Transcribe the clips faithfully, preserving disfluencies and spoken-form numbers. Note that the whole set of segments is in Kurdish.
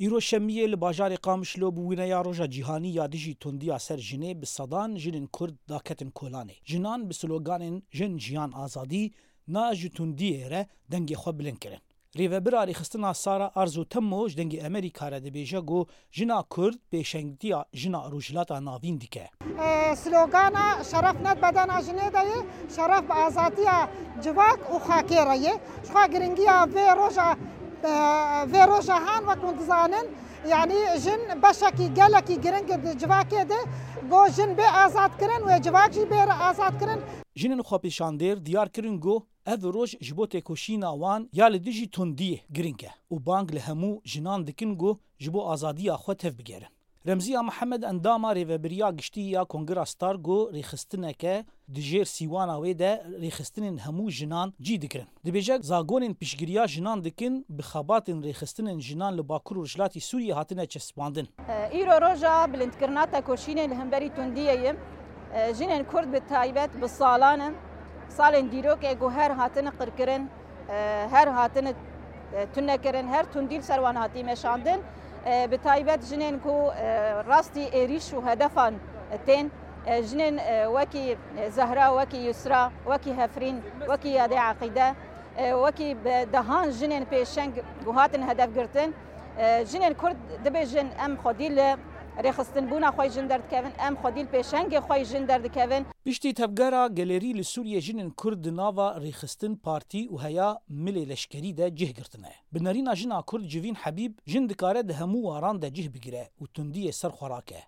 Îro şemiyê li bajarê Qamişlo bi wîneya Roja Cîhanî ya dijî tundiya ser jinê bi sedan jinên Kurd daketin kolanê. Jinan bi sloganên Jin, Jiyan, Azadî, Na ji tundiyê re dengê xwe bilind kirin. Rêvebira rêxistina Sara Arzu Temmo ji Dengê Amerîka re dibêje ku jina Kurd pêşengtiya jina Rojhilata Navîn dike. E, slogana şeref ne bedena jinê de ye, şeref bi azadiya civak û xakê re ye. Jixwe giringiya vê roja, e, vê roja han wek hûn dizanin, yanî jin beşekî gelekî giring e di civakê de, go jin bê azad kirin, wê civak jî bê azad kirin. Jinên xwepêşandêr diyar kirin ku ev roj ji bo têkoşîna wan ya li dijî tundiyê giring e û bang li hemû jinan dikin ku ji bo azadiya xwe tev bigerin. Remziya Mihemed, endama Rêvebiriya Giştî ya Kongira Star, ku rêxistineke di jêr sîwana wê de rêxistinên hemû jinan cî digirin, dibêje, zagonên piştgiriya jinan dikin, bi xebatên rêxistinên jinan li Bakur û Rojhilatî Sûriyê hatine çespandin. Îro roja bilindkirina tekoşînê li hemberî tundiyê ye. Jinên Kurd bi taybet bi salan in, salên dîrokê ku her hatine qirkirin, her hatine tunekirin, her tundî li ser wan hatî meşandin. Bi taybet jinên ku rastî êrîş û hedefan tên, jinên wekî Zehra, wekî Yusra, wekî Hefrîn, wekî Yadê Eqîde, wekî bi dehan jinên pêşeng ku hatin hedef girtin. Jinên Kurd dibêjin, em xwedî li rêxistinbûna xwe jin derdikevin, em xwedî li pêşengê xwe jin derdikevin. Piştî tevgera Gelerî li Sûriyê jinên Kurd di nava rêxistin, partî û heya milê leşkerî de cih girtine. Bi nerîna jina Kurd Civîn Hebîb, jin dikare di hemû waran de cih bigire û tundiyê ser xwe rake.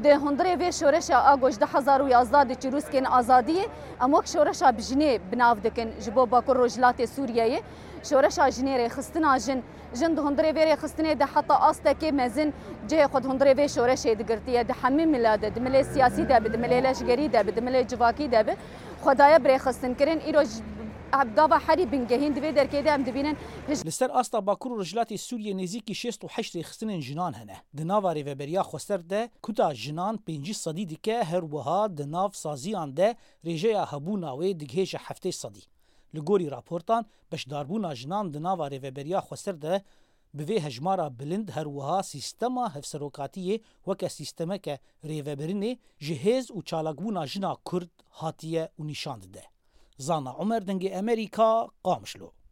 Di hundirê vê şoreşa a ku ji du hezar û yazdeh di çirûskên azadiyê, em wek şoreşa bi jinê bi nav dikin ji bo Bakur Rojhilatê Sûriyeyê. Şoreşa jinê, rêxistina jin, jin di hundirê vê rêxistinê de heta astekê mezin cihê xwe di hundirê vê şoreşê digirtiye. Di hemî mila de, di milê siyasî de bi, di milê leşgerî de bi, di milê civakî de bi, xwe daye bi rêxistinkirin. Îro ji gava herî bingehîn di vê derkê de em dibînin hij- Li ser asta Bakur û Rojhilatê Sûriyê nêzîkî şêst û heşt rêxistinên jinan hene. Di nava Rêveberiya Xweser de kuta jinan pêncî sedî dike, her wiha di nav saziyan de rêjeya hebûna wê digihêje heftê sedî. Li gorî raportan, beşdarbûna jinan di nava Rêveberiya Xweser de bi vê hejmara bilind, her wiha sîstema hevserokatiyê weke sîstemeke rêvebirinê ji hêz û çalakbûna jina Kurd hatiye û nîşan dide. Zana Umer, Dengê Amerîka, Qamişlo.